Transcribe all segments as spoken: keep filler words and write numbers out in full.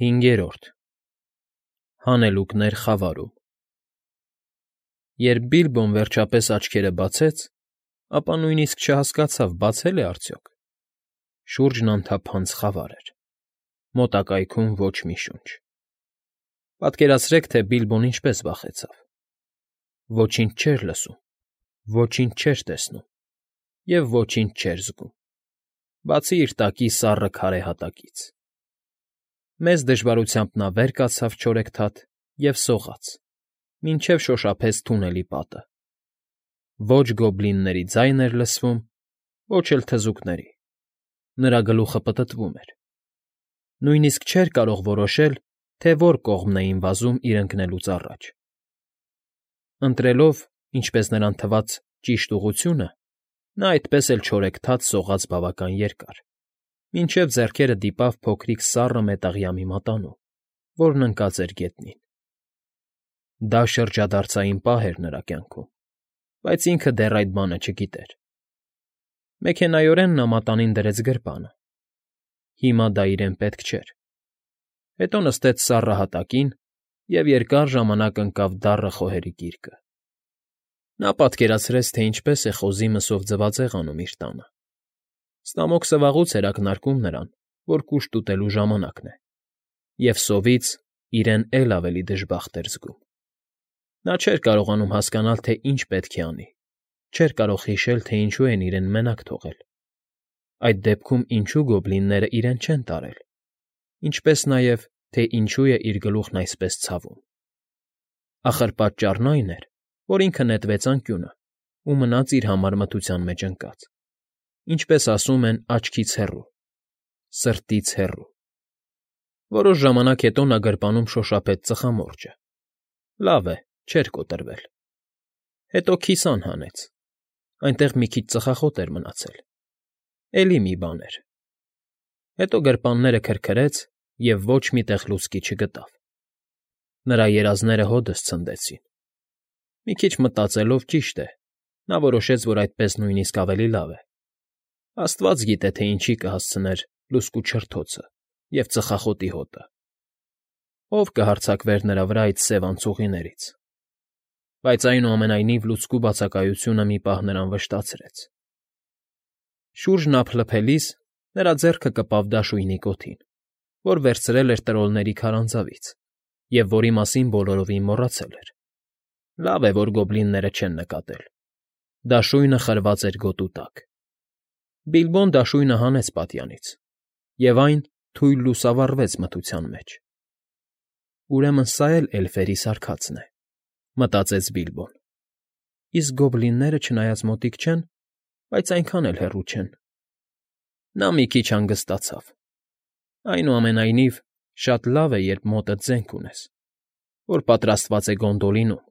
Հինգերորդ Հանելուկներ խավարում Երբ Բիլբոն վերջապես աչքերը բացեց, ապա նույնիսկ չհասկացավ բացե՞լ է արդյոք. շուրջն անթափանց խավար էր, մոտակայքում ոչ մի շունչ. պատկերացրեք, թե Բիլբոն ինչպես վախեցավ. ոչինչ չէր լսում, ոչինչ չէր տեսնում և ոչինչ չէր զգում, բացի իր տակի սառը քարե հատակից. մեծ դժվարությամբ նա վեր կացավ չորեքթաթ և սողաց, մինչև շոշափեց թունելի պատը. ոչ գոբլինների ձայն էր լսվում, ոչ էլ թզուկների, նրա գլուխը պտտվում էր. նույնիսկ չէր կարող որոշել, թե որ կողմն էին վազում իր ընկնելուց առաջ. ընտրելով, ինչպես նրան թվաց, ճիշտ ուղղությունը, նա այդպես էլ չորեքթաթ սողաց բավական երկար, մինչև ձեռքերը դիպավ փոքրիկ սառը մետաղյա մի մատանու, որն ընկած էր գետնին. դա շրջադարձային պահ էր նրա կյանքում, բայց ինքը դեռ այդ բանը չգիտեր. մեքենայորեն նա մատանին դրեց գրպանը. հիմա դա իրեն պետք չէր. հետո նստեց սառը հատակին և երկար ժամանակ ընկավ դառը խոհերի գիրկը. նա պատկերացրեց, թե ինչպես է խոզի մսով ձվածեղ անում իր տանը. ստամոքսը վաղուց էր ակնարկում նրան, որ կուշտ ուտելու ժամանակն է, և սովից իրեն էլ ավելի դժբախտ էր զգում. նա չէր կարողանում հասկանալ, թե ինչ պետք է անի, չէր կարող հիշել, թե ինչու են իրեն մենակ թողել, այդ դեպքում ինչու գոբլինները իրեն չեն տարել, ինչպես նաև, թե ինչու է իր գլուխն այսպես ցավում. ախր պատճառն այն էր, որ ինքը նետվեց անկյունը ու մնաց իր համար մթության մեջ ընկած, ինչպես ասում են, աչքից հեռու, սրտից հեռու. որոշ ժամանակ հետո նա գրպանում շոշափեց ծխամորճը. լավ է, չէր կոտրվել. հետո քիսան հանեց, այնտեղ մի քիչ ծխախոտ էր մնացել, էլի մի բան էր. հետո գրպանները քրքրեց և ոչ մի տեղ լուցկի չգտավ. նրա երազները հօդս ցնդեցին. մի քիչ մտածելով, ճիշտ է, նա որոշեց, որ այդպես նույնիսկ ավելի լավ է. աստված գիտե, թե ինչի կհասցներ լուցկու չրթոցը և ծխախոտի հոտը. ով կհարձակվեր նրա վրա այդ սև անցուղիներից. բայց այնուամենայնիվ լուցկու բացակայությունը մի պահ նրան վշտացրեց. շուրջն ափլփելիս նրա ձեռքը կպավ դաշույնի կոթին, որ վերցրել էր տրոլների քարանձավից և որի մասին բոլորովին մոռացել էր. լավ է, որ գոբլինները չեն նկատել. դաշույնը խրված էր գոտու տակ. Բիլբոն դաշույնը հանեց պատյանից, և այն թույլ լուսավառվեց մթության մեջ. «Ուրեմն սա էլ էլֆերի սարքածն է», մտածեց Բիլբոն. «իսկ գոբլինները չնայած մոտիկ չեն, բայց այնքան էլ հեռու չեն»։ նա մի քիչ հանգստացավ. այնուամենայնիվ, շատ լավ է, երբ մոտդ զենք ունես, որ պատրաստված է Գոնդոլինում,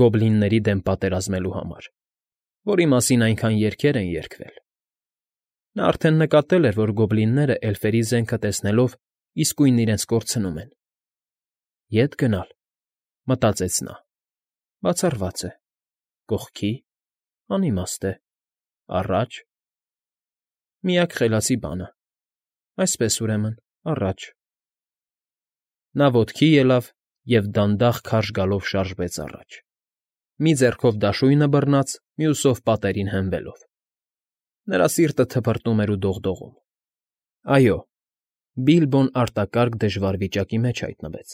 գոբլինների դեմ պատերազմելու համար, որի մասին այնքան երգեր են երգվել. նա արդեն նկատել էր, որ գոբլինները էլֆերի զենքը տեսնելով իսկույն իրենց կորցնում են։ «Ե՞տ գնալ», մտածեց նա. «բացառված է, կողքի՞, անիմաստ է, առա՞ջ»։ միակ խելացի բանը, այսպես ուրեմն, առաջ։ նա ոտքի ելավ և դանդաղ քարշ գալով շարժվեց առաջ, մի ձեռքով դաշույնը բռնած, մյուսով պատերին հենվելով. նրա սիրտը թպրտում էր ու դողդողում։ այո, Բիլբոն արտակարգ դժվար վիճակի մեջ հայտնվեց,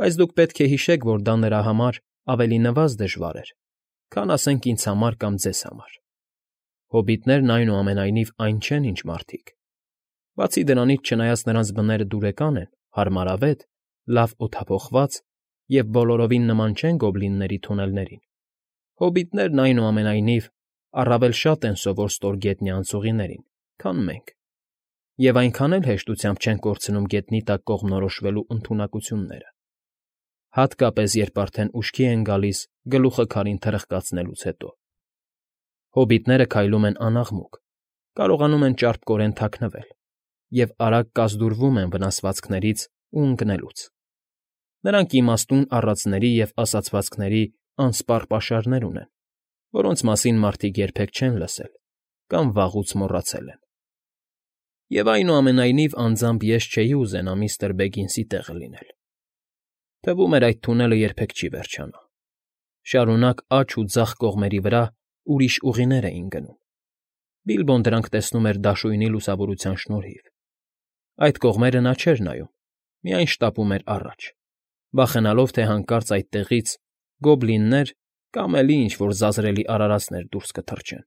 բայց դուք պետք է հիշեք, որ դա նրա համար ավելի նվազ դժվար էր, քան, ասենք, ինձ համար կամ ձեզ համար. հոբիտներն, այնուամենայնիվ, այն չեն, ինչ մարդիկ. բացի դրանից, չնայած նրանց բները դուրեկան են, հարմարավետ, լավ օդափոխված և բոլորովին նման չեն գոբլինների թունելներին, հոբիտներն, այնուամենայնիվ, առավել շատ են սովոր ստորգետնյա անցուղիներին, քան մենք, և այնքան էլ հեշտությամբ չեն կորցնում գետնի տակ կողմնորոշվելու ընդունակությունները, հատկապես, երբ արդեն ուշքի են գալիս գլուխը քարին թրխկացնելուց հետո. հոբիտները քայլում են անաղմուկ, կարողանում են ճարպկորեն թաքնվել և արագ կազդուրվում են վնասվածքներից ու ընկնելուց. նրանք իմաստուն առածների և ասացվածքների անսպառ պաշարներ ունեն, որոնց մասին մարդիկ երբեք չեն լսել կամ վաղուց մոռացել են։ Եվ այնուամենայնիվ անձամբ ես չէի ուզենա միստր Բեգինսի տեղը լինել։ Թվում էր այդ թունելը երբեք չի վերջանա։ Շարունակ աջ ու ձախ կողմերի վրա ուրիշ ուղիներ էին գնում։ Բիլբոն դրանք տեսնում էր դաշույնի լուսավորության շնորհիվ։ Այդ կողմերը նա չէր նայում, միայն շտապում էր առաջ, վախենալով, թե հանկարծ այդտեղից գոբլիններ կամ էլի ինչ֊որ զազրելի արարածներ դուրս կթռչեն։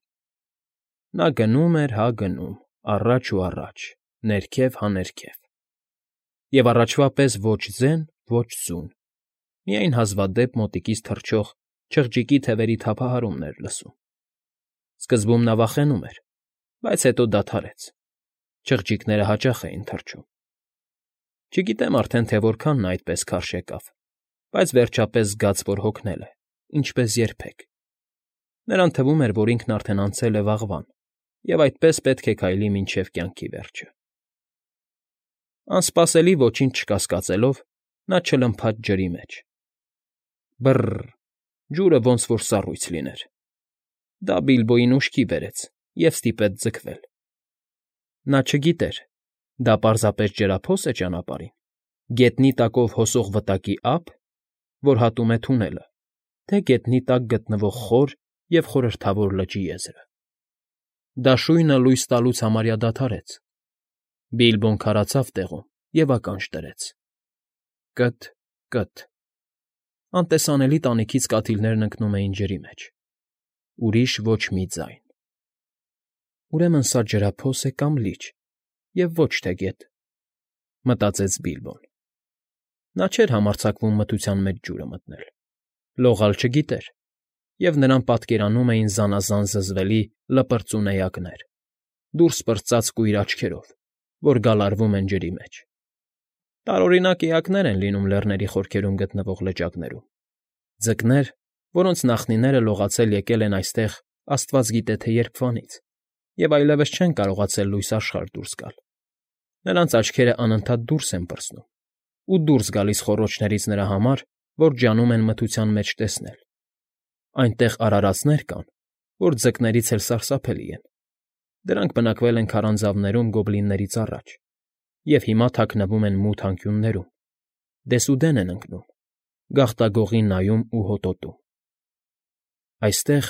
Նա գնում էր հա գնում, առաջ ու առաջ, ներքև հա ներքև։ Եվ առաջվա պես ոչ ձեն, ոչ ձուն, միայն հազվադեպ մոտիկից թռչող չղջիկի թևերի թափահարումն էր լսում։ Սկզբում նա վախենում էր, բայց հետո դադարեց։ Չղջիկները հաճախ էին թռչում։ Չգիտեմ արդեն, թե որքան նա այդպես քարշ եկավ, բայց վերջապես զգաց, որ հոգնել է, ինչպես երբեք։ Նրան թվում էր, որ ինքն արդեն անցել է վաղվան, և այդպես պետք է քայլի մինչև կյանքի վերջը։ Անսպասելի, ոչինչ չկասկածելով, նա չլմփաց ջրի մեջ։ Բը՜ռ… Ջուրը ոնց որ սառույց լիներ։ Դա Բիլբոյին ուշքի բերեց և ստիպեց ձգվել։ Նա չգիտեր՝ դա պարզապես ջրափո՞ս է ճանապարհին, գետնի տակով հոսող վտակի ա՞փ, որ հատում է թունելը, թե գետնի տակ գտնվող խոր և խորհրդավոր լճի եզրը։ Դաշույնը լույս տալուց համարյա դադարեց։ Բիլբոն քարացավ տեղում և ականջ դրեց. կը՛թ, կը՛թ… Անտեսանելի տանիքից կաթիլներն ընկնում էին ջրի մեջ։ Ուրիշ ոչ մի ձայն։ Ուրեմն սա ջրափոս է կամ լիճ, և ոչ թե գետ, մտածեց Բիլբոն։ Նա չէր համարձակվում մթության մեջ ջուրը մտնել, լողալ չգիտեր, և նրան պատկերանում էին զանազան զզվելի լպրծուն էակներ, դուրս պրծած կույր աչքերով, որ գալարվում են ջրի մեջ։ Տարօրինակ էակներ են լինում լեռների խորքերում գտնվող լճակներում, ձկներ, որոնց նախնիները լողացել եկել են այստեղ աստված գիտե թե երբվանից և այլևս չեն կարողացել լույս աշխարհ դուրս գալ։ Նրանց աչքերն անընդհատ դուրս են պրծնում ու դուրս գալիս խոռոչներից նրա համար, որ ջանում են մթության մեջ տեսնել։ Այնտեղ արարածներ կան, որ ձկներից էլ սարսափելի են։ Դրանք բնակվել են քարանձավներում գոբլիններից առաջ և հիմա թաքնվում են մութ անկյուններում, դեսուդեն են ընկնում, գաղտագողի նայում ու հոտոտում։ Այստեղ,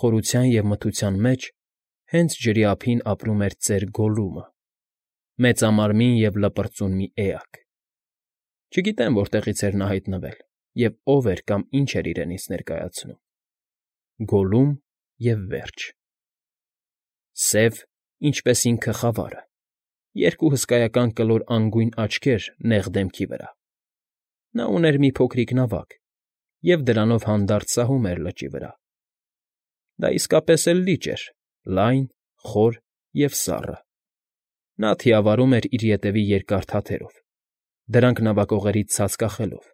խորության և մթության մեջ, հենց ջրի ափին ապրում էր ծեր Գոլլումը, մեծամարմին և լպրծուն մի էակ։ Չգիտեմ որտեղից էր նա հայտնվել և ով էր կամ ինչ էր իրենից ներկայացնում։ Գոլլում և վերջ։ Սև, ինչպես ինքը խավարը, երկու հսկայական կլոր անգույն աչքեր նեղ դեմքի վրա։ Նա ուներ մի փոքրիկ նավակ և դրանով հանդարտ սահում էր լճի վրա։ Դա իսկապես էլ լիճ էր, լայն, խոր և սառը։ Նա թիավարում էր իր ետևի երկար թաթերով, դրանք նավակողերից ցած կախելով,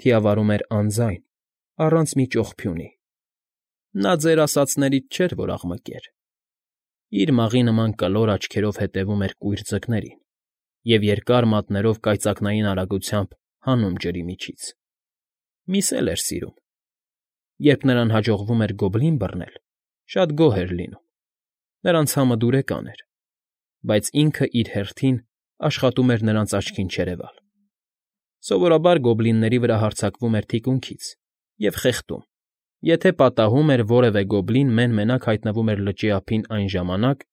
թիավարում էր անձայն, առանց մի ճողփյունի։ Նա ձեր ասածներից չէր, որ աղմկեր։ Իր մաղի նման կլոր աչքերով հետևում էր կույր ձկներին և երկար մատներով կայծակնային արագությամբ հանում ջրի միջից։ Միս էլ էր սիրում։ Երբ նրան հաջողվում էր գոբլին բռնել, շատ գոհ էր լինում։ Նրանց համը դուրեկան էր, բայց ինքը իր հերթին աշխատում էր նրանց աչքին չերևալ։ Սովորաբար գոբլինների վրա հարձակվում էր թիկունքից և խեղդում, եթե պատահում էր որևէ գոբլին մեն֊մենակ հայտնվում էր լճի ափին այն ժամանակ,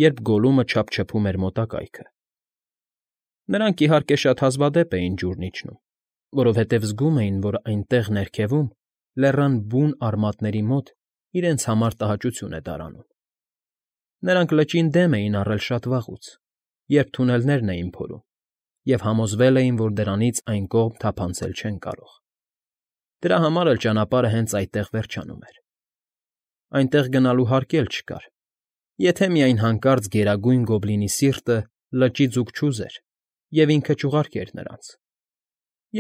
երբ Գոլլումը չափչփում էր մոտակայքը։ Նրանք, իհարկե, շատ հազվադեպ էին ջուրն իջնում, որովհետև զգում էին, որ այնտեղ ներքևում, լեռան բուն արմատների մոտ իրենց համար տհաճություն է դարանում։ Նրանք լճին դեմ էին առել շատ վաղուց, երբ թունելներն էին փորում, և համոզվել էին, որ դրանից այն կողմ թափանցել չեն կարող։ Դրա համար էլ ճանապարհը հենց այդտեղ վերջանում էր։ Այնտեղ գնալու հարկ էլ չկար, եթե միայն հանկարծ Գերագույն Գոբլինի սիրտը լճի ձուկ չուզեր և ինքը չուղարկեր նրանց։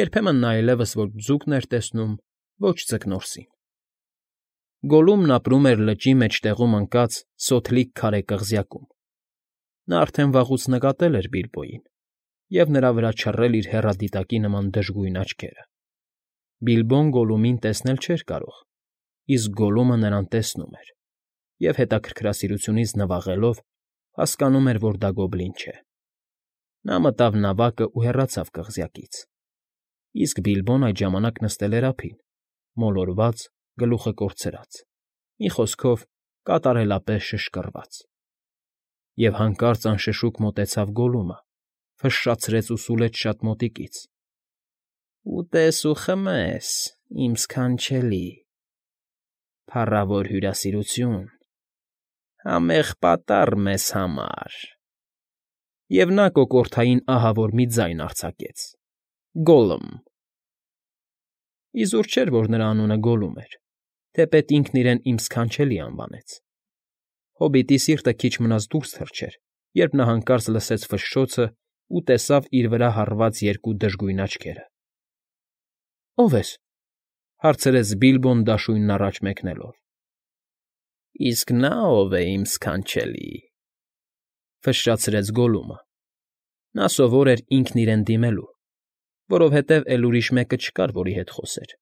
Երբեմն նա այլևս ոչ ձուկն էր տեսնում, ոչ ձկնորսին։ Գոլլումն ապրում էր լճի մեջտեղում ընկած սոթլիկ քարե կղզյակում։ Նա արդեն վաղուց նկատել էր Բիլբոյին և նրա վրա չռել իր հեռադիտակի նման դժգույն աչքերը։ Բիլբոն Գոլլումին տեսնել չէր կարող, իսկ Գոլլումը նրան տեսնում էր և, հետաքրքրասիրությունից նվաղելով, հասկանում էր, որ դա գոբլին չէ։ Նա մտավ նավակն ու հեռացավ կղզյակից, իսկ Բիլբոն այդ ժամանակ նստել էր ափին, մոլորված, գլուխը կորցրած, մի խոսքով, կատարելապես շշկռված։ Եվ հանկարծ անշշուկ մոտեցավ Գոլլումը, ֆշշացրեց ու սուլեց շատ մոտիկից. ֊ Ուտես ու խմես, իմ ս֊ս֊սքանչելի, փառավոր հյուրասիրություն, համեղ պատառ մեզ համար… Եվ նա կոկորդային ահավոր մի ձայն արձակեց. Գոլլմ… Իզուր չէր, որ նրա անունը Գոլլում էր, թեպետ ինքն իրեն «իմ ս֊ս֊սքանչելի» անվանեց։ Հոբիտի սիրտը քիչ մնաց դուրս թռչեր, երբ նա հանկարծ լսեց ֆշշոցն ու տեսավ իր վրա հառված երկու դժգույն աչքերը։ ֊ Ո՞վ ես,֊ հարցրեց Բիլբոն դաշույնն առաջ մեկնելով։ ֊ Իսկ նա ո՞վ է, իմ ս֊ս֊սքանչելի,֊ ֆշշացրեց Գոլլումը։ Նա սովոր էր ինքն իրեն դիմելու, որովհետև էլ ուրիշ մեկը չկար, որի հետ խոսեր։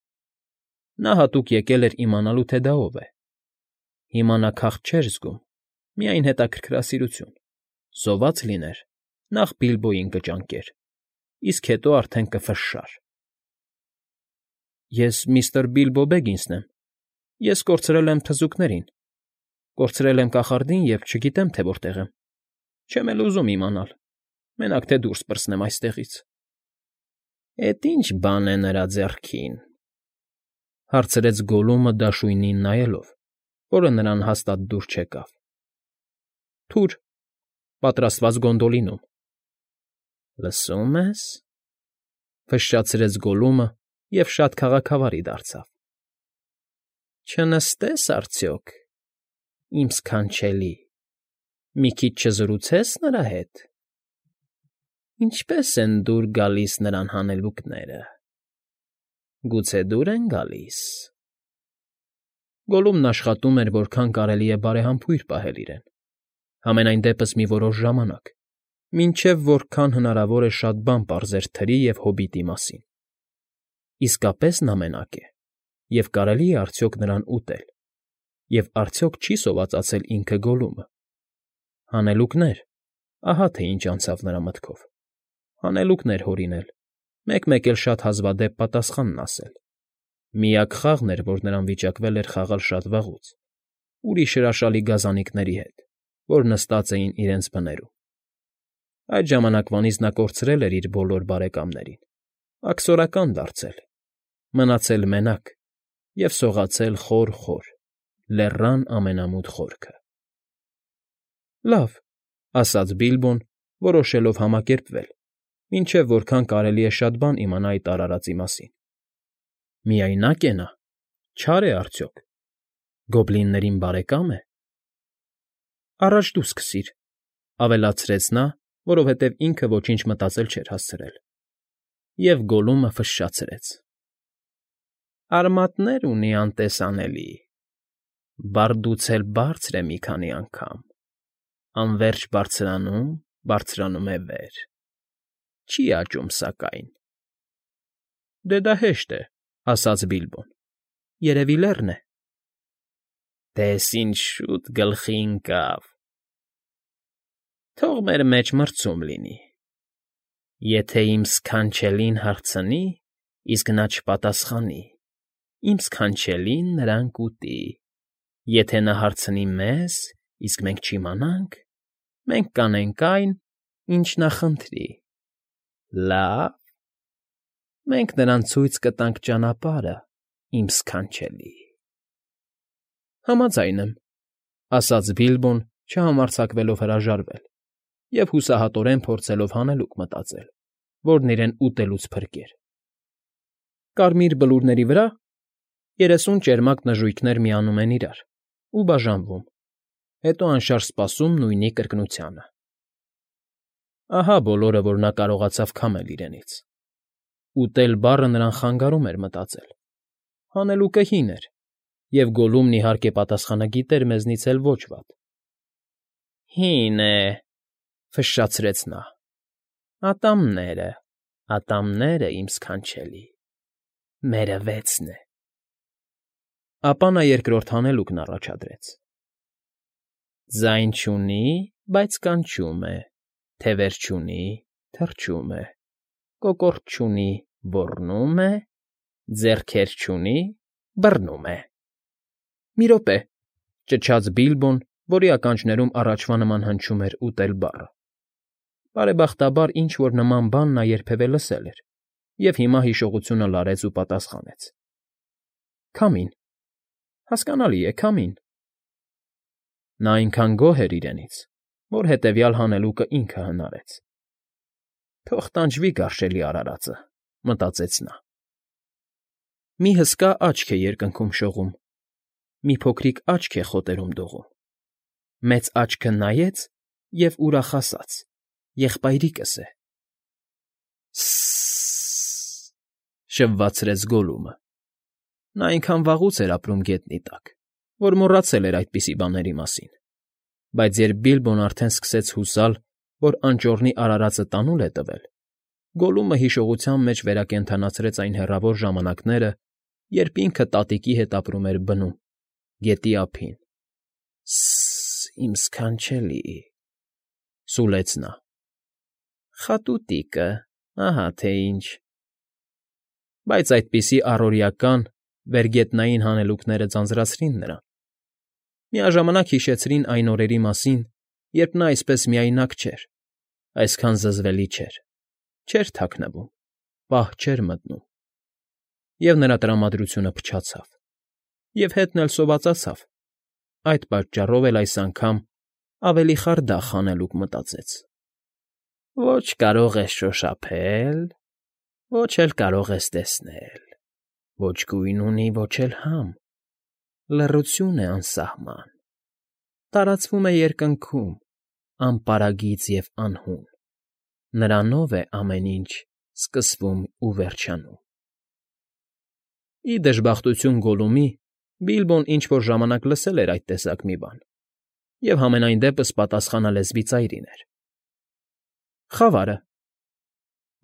Նա հատուկ եկել էր իմանալու, թե դա ով է։ Հիմա նա քաղց չէր զգում, միայն հետաքրքրասիրություն. սոված լիներ, նախ Բիլբոյին կճանկեր, իսկ հետո արդեն կֆշշար։ ֊ Ես միստր Բիլբո Բեգինսն եմ, ես կորցրել եմ թզուկներին, կորցրել եմ կախարդին և չգիտեմ, թե որտեղ եմ, չեմ էլ ուզում իմանալ, մենակ թե դուրս պրծնեմ այստեղից։ ֊ Էդ ի՞նչ բան է նրա ձեռքին,֊ հարցրեց Գոլլումը դաշույնին նայելով, որը նրան հաստատ դուր չեկավ։ ֊ Թուր, պատրաստված Գոնդոլինում։ ֊ Լսո՞ւմ ես,֊ ֆշշացրեց Գոլլումը և շատ քաղաքավարի դարձավ։ ֊ Չնստե՞ս արդյոք, իմ ս֊ս֊սքանչելի, մի քիչ չզրուցե՞ս նրա հետ. ինչպե՞ս են դուր գալիս նրան հանելուկները… Գուցե դուր են գալիս…֊ Գոլլումն աշխատում էր որքան կարելի է բարեհամբույր պահել իրեն, համենայն դեպս մի որոշ ժամանակ, մինչև որքան հնարավոր է շատ բան պարզեր թրի և հոբիտի մասին։ Իսկապե՞ս նա մենակ է, և կարելի՞ է արդյոք նրան ուտել, և արդյոք չի՞ սովածացել ինքը Գոլլումը։ Հանելուկներ… ահա թե ինչ անցավ նրա մտքով… Հանելուկներ հորինել, մեկ֊մեկ էլ շատ հազվադեպ պատասխանն ասել… Միակ խաղն էր, որ նրան վիճակվել էր խաղալ շատ վաղուց, ուրիշ հրաշալի գազանների հետ, որ նստած էին իրենց բներում։ Այդ ժամանակվանից նա կորցրել էր իր բոլոր բարեկամներին, աքսորական դարձել, մնացել մենակ և սողացել խոր֊խոր, լեռան ամենամութ խորքը։ ֊ Լավ,֊ ասաց Բիլբոն, որոշելով համակերպվել, մինչև որքան կարելի է շատ բան իմանա այդ արարածի մասին։ ֊ Միայնա՞կ է նա, չա՞ր է արդյոք, գոբլիններին բարեկա՞մ է։ ֊ Առաջ դու սկսիր,֊ ավելացրեց նա, որովհետև ինքը ոչինչ մտածել չէր հասցրել։ Եվ Գոլլումը ֆշշացրեց. ֊ Արմատներ ունի անտեսանելի, բարդուց էլ բարձր է մի քանի անգամ, անվերջ բարձրանում, բարձրանում է վեր, չի աճում սակայն։ ֊ Դե դա հեշտ է,֊ ասաց Բիլբոն,֊ երևի լեռն է։ ֊ Տես ինչ շուտ գլխի ընկավ… Թող մեր մեջ մրցում լինի. եթե իմ ս֊ս֊սքանչելին հարցնի, իսկ նա չպատասխանի, իմ ս֊ս֊սքանչելին նրան կուտի, եթե նա հարցնի մեզ, իսկ մենք չիմանանք, մենք կանենք այն, ինչ նա խնդրի… Լ֊լ֊լա՞վ, մենք նրան ցույց կտանք ճանապարհը, իմ ս֊ս֊սքանչելի։ ֊ Համաձայն եմ,֊ ասաց Բիլբոն, չհամարձակվելով հրաժարվել և հուսահատորեն փորձելով հանելուկ մտածել, որն իրեն ուտելուց փրկեր։ Կարմիր բլուրների վրա երեսուն ճերմակ նժույգներ միանում են իրար ու բաժանվում, հետո անշարժ սպասում նույնի կրկնությանը… Ահա բոլորը, որ նա կարողացավ քամել իրենից։ «Ուտել» բառը նրան խանգարում էր մտածել։ Հանելուկը հին էր, և Գոլլումն, իհարկե, պատասխանագիտ էր մեզնից էլ ոչ վատ։ ֊ Հին է,֊ ֆշշացրեց նա,֊ ատամները, ատամները, իմ ս֊ս֊սքանչելի, մերը վեցն է… Ապա նա երկրորդ հանելուկն առաջադրեց. Ձայն չունի, բայց կանչում է, թևեր չունի, թռչում է, կոկորդ չունի, ոռնում է, ձեռքեր չունի, բռնում է։ ֊ Մի րոպե,֊ ճչաց Բիլբոն, որի ականջներում առաջվա նման հնչում էր «ուտել» բառը. բարեբախտաբար ինչ֊որ նման բան նա երբևէ լսել էր և հիմա հիշողությունը լարեց ու պատասխանեց. ֊ Քամին, հասկանալի է, քամին… Նա այնքան գոհ էր իրենից, որ հետևյալ հանելուկը ինքը հնարեց։ «Թող տանջվի գարշելի արարածը», մտածեց նա։ Մի հսկա աչք է երկնքում շողում, մի փոքրիկ աչք է խոտերում դողում, մեծ աչքը նայեց և ուրախ ասաց. «Եղբայրիկս է»։ Ս֊ս֊ս,֊ շվվացրեց Գոլլումը. նա այնքան վաղուց էր ապրում գետնի տակ, որ մոռացել էր այդպիսի բաների մասին, բայց երբ Բիլբոն արդեն սկսեց հուսալ, որ անճոռնի արարածը տանուլ է տվել, Գոլլումը հիշողության մեջ վերակենդանացրեց այն հեռավոր ժամանակները, երբ ինքը տատիկի հետ ապրում էր բնում, գետի ափին։ «Ս֊ս֊ս, իմ ս֊ս֊սքանչելի…֊ սուլեց նա։֊ Խատուտիկը, ահա թե ինչ»։ Բայց այդպիսի առօրեական, վերգետնային հանելուկները ձանձրացրին նրան, միաժամանակ հիշեցրին այն օրերի մասին, երբ նա այսպես միայնակ չէր, այսքան զզվելի չէր, չէր թաքնվում, պահ չէր մտնում… Եվ նրա տրամադրությունը փչացավ, և հետն էլ սովածացավ, այդ պատճառով էլ այս անգամ ավելի խարդախ հանելուկ մտածեց. «Ոչ կարող ես շոշափել, ոչ էլ կարող ես տեսնել, ոչ գույն ունի, ոչ էլ համ, լռություն է անսահման, տարածվում է երկնքում, անպարագիծ և անհուն, նրանով է ամեն ինչ սկսվում ու վերջանում»։ Ի դժբախտություն Գոլլումի, Բիլբոն ինչ֊որ ժամանակ լսել էր այդ տեսակ մի բան և համենայն դեպս պատասխանը լեզվի ծայրին էր։ ֊ Խավարը,֊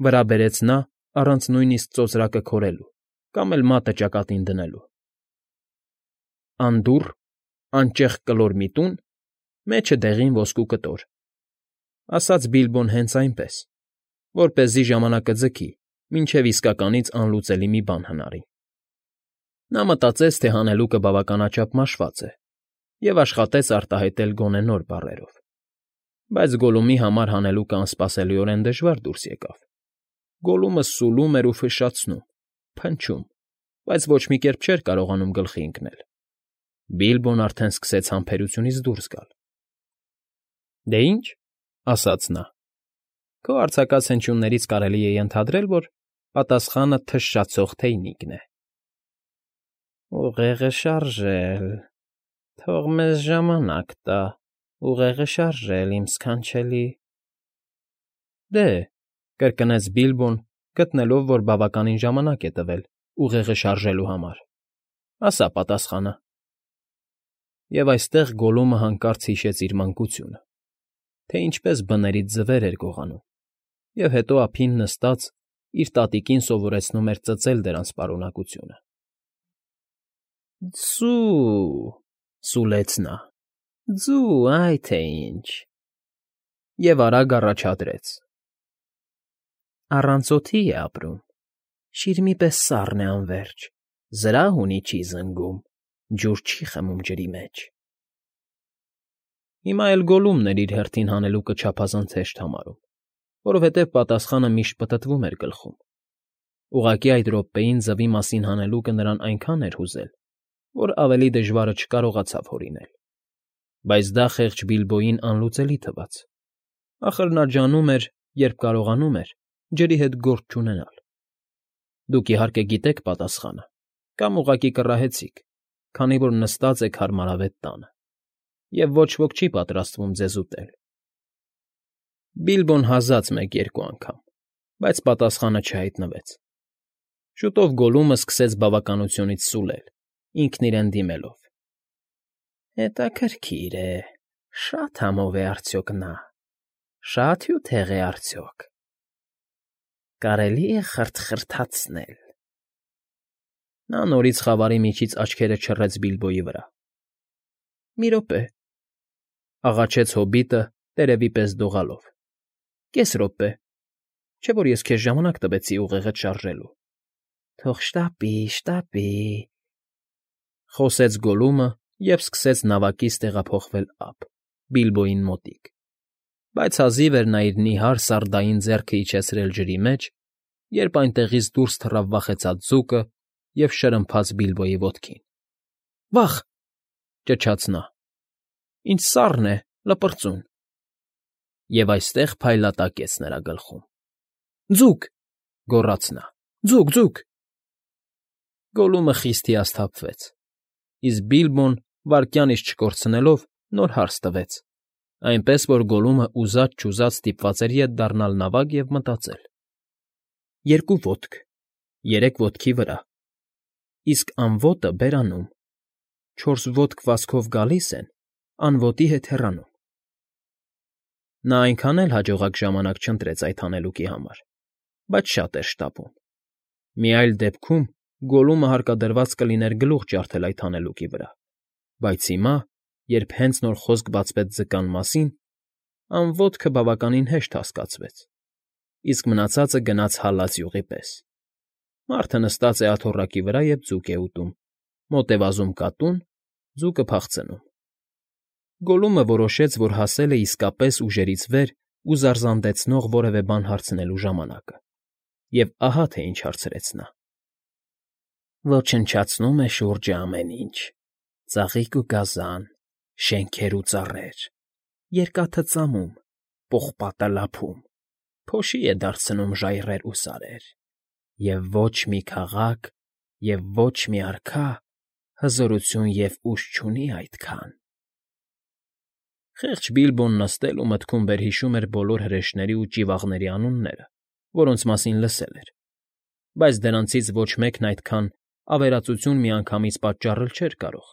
վրա բերեց նա առանց նույնիսկ ծոծրակը քորելու կամ էլ մատը ճակատին դնելու։ ֊ Անդուռ, անճեղք կլոր մի տուն, մեջը դեղին ոսկու կտոր,֊ ասաց Բիլբոն հենց այնպես, որպեսզի ժամանակը ձգի, մինչև իսկականից անլուծելի մի բան հնարի։ Նա մտածեց, թե հանելուկը բավականաչափ մաշված է, և աշխատեց արտահայտել գոնե նոր բառերով։ Բայց Գոլլումի համար հանելուկը անսպասելիորեն դժվար դուրս եկավ. Գոլլումը սուլում էր ու ֆշշացնում, փնչում, բայց ոչ մի կերպ չէր կարողանում գլխի ընկնել։ Բիլբոն արդեն սկսեց համբերությունից դուրս գալ։ ֊ Դե ինչ,֊ ասաց նա,֊ քո արձակած հնչյուններից կարելի է ենթադրել, որ պատասխանը թշշացող թեյնիկն է։ ֊ Ուղեղը շարժել… Թող մեզ ժամանակ տա ուղեղը շարժել, իմ ս֊ս֊սքանչելի… ֊ Դե,֊ կրկնեց Բիլբոն, գտնելով, որ բավականին ժամանակ է տվել ուղեղը շարժելու համար,֊ ասա պատասխանը… Եվ այստեղ Գոլլումը հանկարծ հիշեց իր մանկությունը, թե ինչպես բներից ձվեր էր գողանում, և հետո ափին նստած իր տատիկին սովորեցնում էր ծծել դրանց պարունակությունը։ ֊ Ս֊ս֊սու,֊ սուլեց նա,֊ ձու, այ թե ինչ… Եվ արագ առաջադրեց. Առանց օդի է ապրում, շիրիմի պես սառն է անվերջ, զրահ ունի չի զնգում, ջուր չի խմում ջրի մեջ… Հիմա էլ Գոլլումն էր իր հերթին հանելուկը չափազանց հեշտ համարում, որովհետև պատասխանը միշտ պտտվում էր գլխում. ուղղակի այդ րոպեին ձվի մասին հանելուկը նրան այնքան էր հուզել, որ ավելի դժվարը չկարողացավ հորինել։ Բայց դա խեղճ Բիլբոյին անլուծելի թվաց. ախր նա ջանում էր, երբ կարողանում էր, ջրի հետ գործ չունենալ։ Դուք, իհարկե, գիտեք պատասխանը, կամ ուղղակի կռահեցիք, քանի որ նստած եք հարմարավետ տանը, և ոչ ոք չի պատրաստվում ձեզ ուտել։ Բիլբոն հազաց մեկ֊երկու անգամ, բայց պատասխանը չհայտնվեց։ Շուտով Գոլլումը սկսեց բավականությունից սուլել, ինքն իրեն դիմելով. Հետաքրքիր է, շա՞տ համով է արդյոք նա, շա՞տ հյութեղ է արդյոք, կարելի՞ է խրթ֊խրթացնել… Նա նորից խավարի միջից աչքերը չռեց Բիլբոյի վրա։ ֊ Մի րոպե,֊ աղաչեց հոբիտը տերևի պես դողալով։ ֊ Կես րոպե, չէ՞ որ ես քեզ ժամանակ տվեցի ուղեղդ շարժելու։ ֊ Թող շտապի, շտապի,֊ խոսեց Գոլլումը և սկսեց նավակից տեղափոխվել ափ, Բիլբոյին մոտիկ, բայց հազիվ էր նա իր նիհար սարդային ձեռն իջեցրել ջրի մեջ, երբ այնտեղից դուրս թռավ վախեցած ձուկը և շրմփաց Բիլբոյի ոտքին։ ֊ Վա՜խ,֊ ճչաց նա։֊ Ինչ սառն է, լպրծուն… Եվ այստեղ փայլատակեց նրա գլխում։ ֊ Ձո՛ւկ,֊ գոռաց նա։֊ Ձուկ, ձուկ… Գոլլումը խիստ հիասթափվեց, իսկ Բիլբոն, վայրկյան իսկ չկորցնելով, նոր հարց տվեց, այնպես որ Գոլլումը ուզած֊չուզած ստիպված էր ետ դառնալ նավակ և մտածել. երկու ոտք, երեք ոտքի վրա, իսկ անոտը բերանում, չորս ոտք վազքով գալիս են, անոտի հետ հեռանում… Նա այնքան էլ հաջողակ ժամանակ չընտրեց այդ հանելուկի համար, բայց շատ էր շտապում։ Մի այլ դեպքում Գոլլումը հարկադրված կլիներ գլուխ ջարդել այդ հանելուկի վրա, բայց հիմա, երբ հենց նոր խոսք բացվեց ձկան մասին, անոտքը բավականին հեշտ հասկացվեց, իսկ մնացածը գնաց հալած յուղի պես. մարդը նստած է աթոռակի վրա և ձուկ է ուտում, մոտ է վազում կատուն, ձուկը փախցնում… Գոլլումը որոշեց, որ հասել է իսկապես ուժերից վեր ու զարզանդեցնող որևէ բան հարցնելու ժամանակը, և ահա թե ինչ հարցրեց նա. Ոչնչացնում է շուրջը ամեն ինչ. ծաղիկ ու գազան, շենքեր ու ծառեր, երկաթը ծամում, պողպատը լափում, փոշի է դարձնում ժայռեր ու սարեր, և ոչ մի քաղաք և ոչ մի արքա հզորություն և ուժ չունի այդքան… Խեղճ Բիլբոն նստել ու մտքում վերհիշում էր բոլոր հրեշների ու ճիվաղների անունները, որոնց մասին լսել էր, բայց դրանցից ոչ մեկն այդքան ավերածություն միանգամից պատճառել չէր կարող.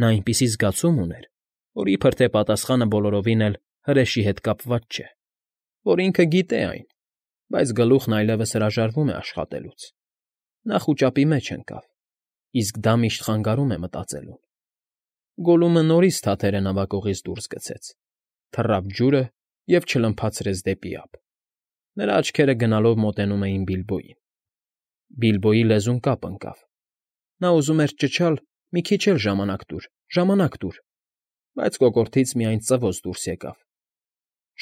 նա այնպիսի զգացում ուներ, որ իբրև թե պատասխանը բոլորովին էլ հրեշի հետ կապված չէ, որ ինքը գիտե այն, բայց գլուխն այլևս հրաժարվում է աշխատելուց. նա խուճապի մեջ ընկավ, իսկ դա միշտ խանգարում է մտածելուն։ Գոլլումը նորից թաթերը նավակողից դուրս գցեց, թռավ ջուրը և չլմփացրեց դեպի ափ. նրա աչքերը գնալով մոտենում էին Բիլբոյին։ Բիլբոյի լեզուն կապ ընկավ. նա ուզում էր ճչալ. «Մի քիչ էլ ժամանակ տուր, ժամանակ տուր», բայց կոկորդից միայն ծվոց դուրս եկավ.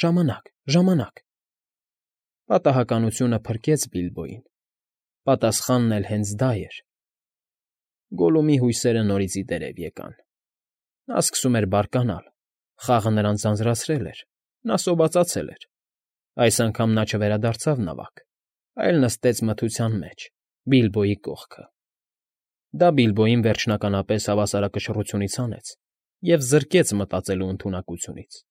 «Ժամանակ, ժամանակ…» Պատահականությունը փրկեց Բիլբոյին, պատասխանն էլ հենց դա էր… Գոլլումի հույսերը նորից ի դերև եկան. նա սկսում էր բարկանալ, խաղը նրան ձանձրացրել էր, նա սովածացել էր… Այս անգամ նա չվերադարձավ նավակ, այլ նստեց մթության մեջ, Բիլբոյի կողքը… Դա Բիլբոյին վերջնականապես հավասարակշռությունից հանեց և զրկեց մտածելու ընդունակությունից։